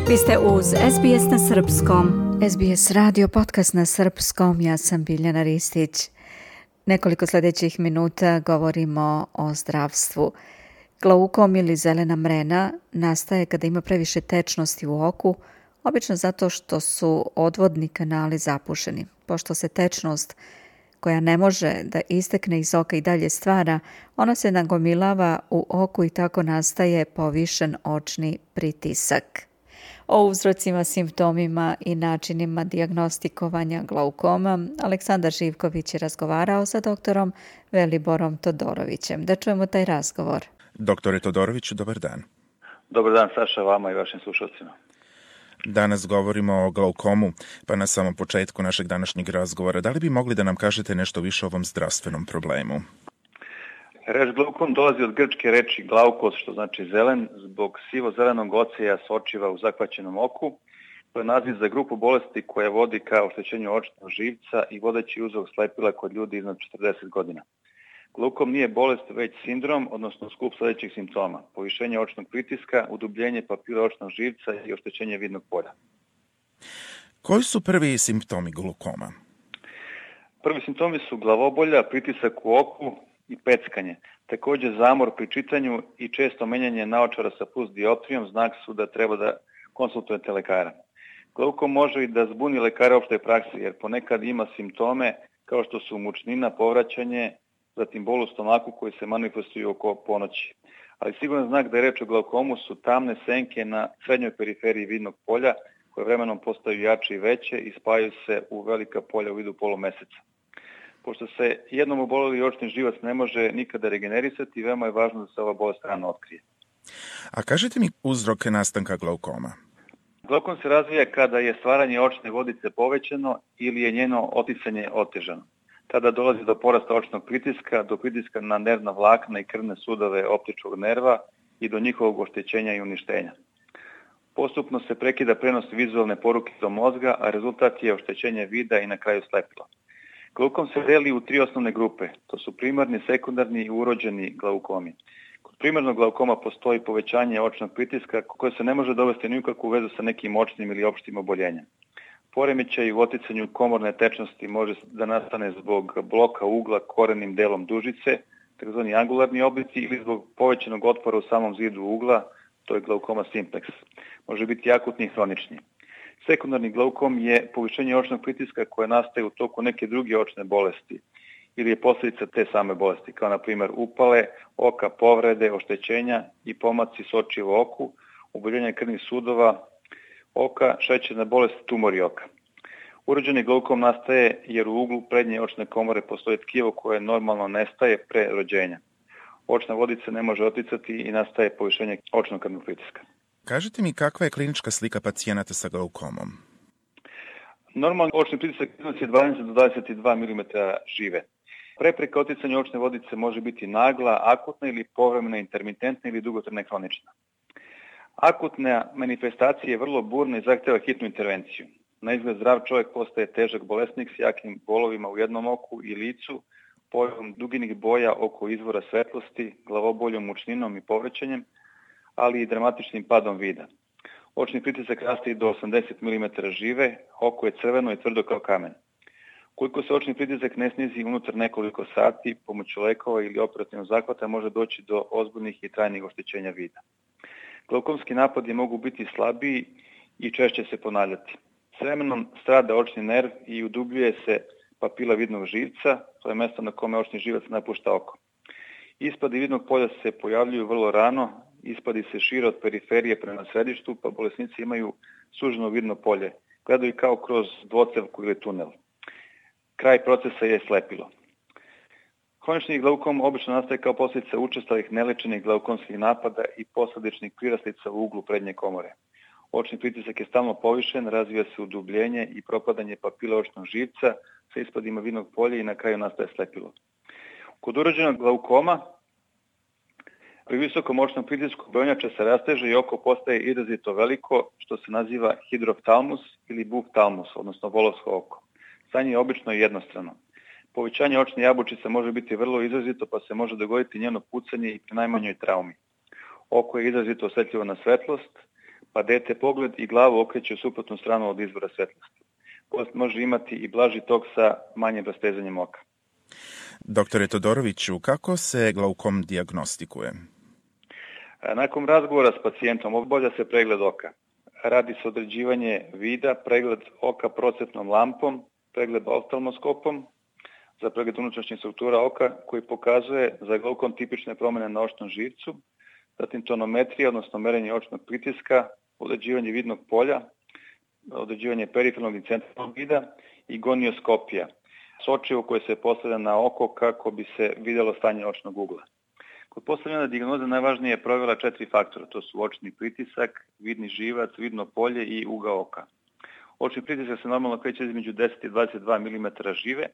Vi ste uz SBS na Srpskom. SBS radio podcast na Srpskom, ja sam Biljana Ristić. Nekoliko sljedećih minuta govorimo o zdravstvu. Glaukom ili zelena mrena nastaje kada ima previše tečnosti u oku, obično zato što su odvodni kanali zapušeni. Pošto se tečnost koja ne može da istekne iz oka i dalje stvara, ona se nagomilava u oku i tako nastaje povišen očni pritisak. O uzrocima, simptomima i načinima dijagnostikovanja glaukoma Aleksandar Živković je razgovarao sa doktorom Veliborom Todorovićem. Da čujemo taj razgovor. Doktore Todoroviću, dobar dan. Dobar dan, Saša, vama i vašim slušalcima. Danas govorimo o glaukomu, pa na samom početku našeg današnjeg razgovora, da li bi mogli da nam kažete nešto više o ovom zdravstvenom problemu? Reč glaukom dolazi od grčke reči glaukos, što znači zelen, zbog sivo-zelenog oceja sočiva u zahvaćenom oku. To je naziv za grupu bolesti koja vodi ka oštećenju očnog živca i vodeći uzrok slepila kod ljudi iznad 40 godina. Glaukom nije bolest, već sindrom, odnosno skup sljedećih simptoma: povišenje očnog pritiska, udubljenje papila očnog živca i oštećenje vidnog polja. Koji su prvi simptomi glaukoma? Prvi simptomi su glavobolja, pritisak u oku i peckanje. Također zamor pri čitanju i često menjanje naočara sa plus dioptrijom znak su da treba da konsultujete lekara. Glaukom može i da zbuni lekara opšte praksi, jer ponekad ima simptome kao što su mučnina, povraćanje, zatim bol u stomaku koji se manifestuju oko ponoći. Ali siguran znak da je reč o glaukomu su tamne senke na srednjoj periferiji vidnog polja koje vremenom postaju jače i veće i spajaju se u velika polja u vidu polumeseca. Pošto se jednom oboleli očni živac ne može nikada regenerisati, veoma je važno da se ova bolest rano otkrije. A kažete mi uzrok nastanka glaukoma? Glaukom se razvija kada je stvaranje očne vodice povećano ili je njeno oticanje otežano. Tada dolazi do porasta očnog pritiska, do pritiska na nervna vlakna i krvne sudove optičkog nerva i do njihovog oštećenja i uništenja. Postupno se prekida prenos vizualne poruke do mozga, a rezultat je oštećenje vida i na kraju slepila. Glaukom se deli u 3 osnovne grupe. To su primarni, sekundarni i urođeni glaukomi. Kod primarnog glaukoma postoji povećanje očnog pritiska koje se ne može dovesti ni u kakvu vezu sa nekim očnim ili opštim oboljenjem. Poremećaj u oticanju komorne tečnosti može da nastane zbog bloka ugla korenim delom dužice, takozvani angularni oblici, ili zbog povećanog otpora u samom zidu ugla, to je glaukoma simplex. Može biti akutni i hronični. Sekundarni glaukom je povišenje očnog pritiska koje nastaje u toku neke druge očne bolesti ili je posljedica te same bolesti, kao na primjer upale oka, povrede, oštećenja i pomaci sočiva u oku, oboljenje krvnih sudova oka, šećerna bolest, tumori oka. Urođeni glaukom nastaje jer u uglu prednje očne komore postoji tkivo koje normalno nestaje pre rođenja. Očna vodica ne može oticati i nastaje povišenje očnog krvnog pritiska. Kažite mi kakva je klinička slika pacijenata sa glaukomom? Normalno očni pritisak iznosi 20 do 22 mm žive. Prepreka oticanja očne vodice može biti nagla, akutna ili povremena, intermitentna ili dugotrajna hronična. Akutna manifestacija je vrlo burna i zahteva hitnu intervenciju. Na izgled zdrav čovjek postaje težak bolesnik s jakim bolovima u jednom oku i licu, pojavom duginih boja oko izvora svetlosti, glavoboljom, mučninom i povraćanjem, ali i dramatičnim padom vida. Očni pritisak raste i do 80 mm žive, oko je crveno i tvrdo kao kamen. Koliko se očni pritisak ne snizi unutar nekoliko sati, pomoću lekova ili operativnog zahvata može doći do ozbiljnih i trajnih oštećenja vida. Glaukomski napadi mogu biti slabiji i češće se ponavljati. S vremenom strada očni nerv i udubljuje se papila vidnog živca, to je mjesto na kome očni živac napušta oko. Ispadi vidnog polja se pojavljuju vrlo rano, ispadi se šire od periferije prema središtu, pa bolesnici imaju suženo vidno polje. Gledaju kao kroz dvocevku ili tunel. Kraj procesa je slepilo. Hronični glaukom obično nastaje kao posljedica učestalih nelečenih glaukomskih napada i posljedičnih prirastica u uglu prednje komore. Očni pritisak je stalno povišen, razvija se udubljenje i propadanje papila očnog živca sa ispadima vidnog polja i na kraju nastaje slepilo. Kod urođenog glaukoma pri visokom očnom pritisku brojnjača se rasteže i oko postaje izrazito veliko, što se naziva hidroftalmus ili buftalmus, odnosno volovsko oko. Stanje je obično jednostrano. Povećanje očne jabučice može biti vrlo izrazito, pa se može dogoditi njeno pucanje i pri najmanjoj traumi. Oko je izrazito osjetljivo na svetlost, pa dete pogled i glavu okreće u suprotnu stranu od izvora svetlosti. Bolest može imati i blaži tok sa manjim rastezanjem oka. Doktore Todoroviću, kako se glaukom dijagnostikuje? Nakon razgovora s pacijentom obavlja se pregled oka. Radi se određivanje vida, pregled oka procetnom lampom, pregled oftalmoskopom, za pregled unutrašnjih struktura oka koji pokazuje za glaukom tipične promjene na očnom živcu, zatim tonometrija, odnosno merenje očnog pritiska, određivanje vidnog polja, određivanje perifernog i centralnog vida i gonioskopija, sočivo koje se postavlja na oko kako bi se vidjelo stanje očnog ugla. Kod postavljanja dijagnoze najvažnije je provjera 4 faktora, to su očni pritisak, vidni živac, vidno polje i ugao oka. Očni pritisak se normalno kreće između 10 i 22 mm žive.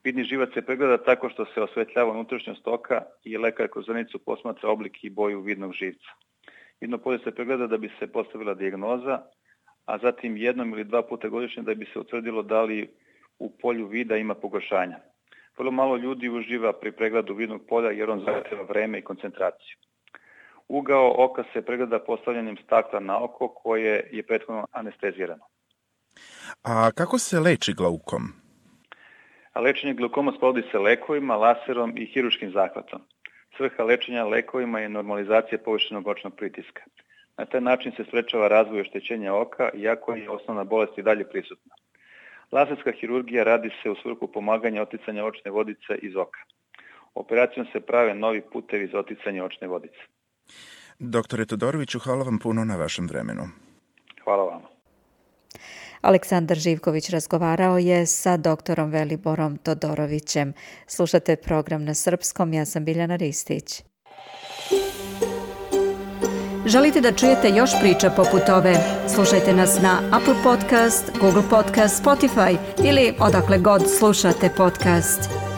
Vidni živac se pregleda tako što se osvetljava unutrašnjost oka i lekar kroz zrnicu posmatra oblik i boju vidnog živca. Vidno polje se pregleda da bi se postavila dijagnoza, a zatim 1 ili 2 puta godišnje da bi se utvrdilo da li u polju vida ima pogoršanja. Vrlo malo ljudi uživa pri pregledu vidnog polja jer on zahtjeva vreme i koncentraciju. Ugao oka se pregleda postavljanjem stakla na oko koje je prethodno anestezirano. A kako se leči glaukom? Lečenje glaukoma sprovodi se lekovima, laserom i hirurškim zahvatom. Svrha lečenja lekovima je normalizacija povišenog očnog pritiska. Na taj način se sprečava razvoj oštećenja oka, iako je osnovna bolest i dalje prisutna. Laserska hirurgija radi se u svrhu pomaganja oticanja očne vodice iz oka. Operacijom se prave novi putevi za oticanje očne vodice. Doktore Todoroviću, hvala vam puno na vašem vremenu. Hvala vam. Aleksandar Živković razgovarao je sa doktorom Veliborom Todorovićem. Slušate program na srpskom, ja sam Biljana Ristić. Želite da čujete još priča poput ove? Slušajte nas na Apple Podcast, Google Podcast, Spotify ili odakle god slušate podcast.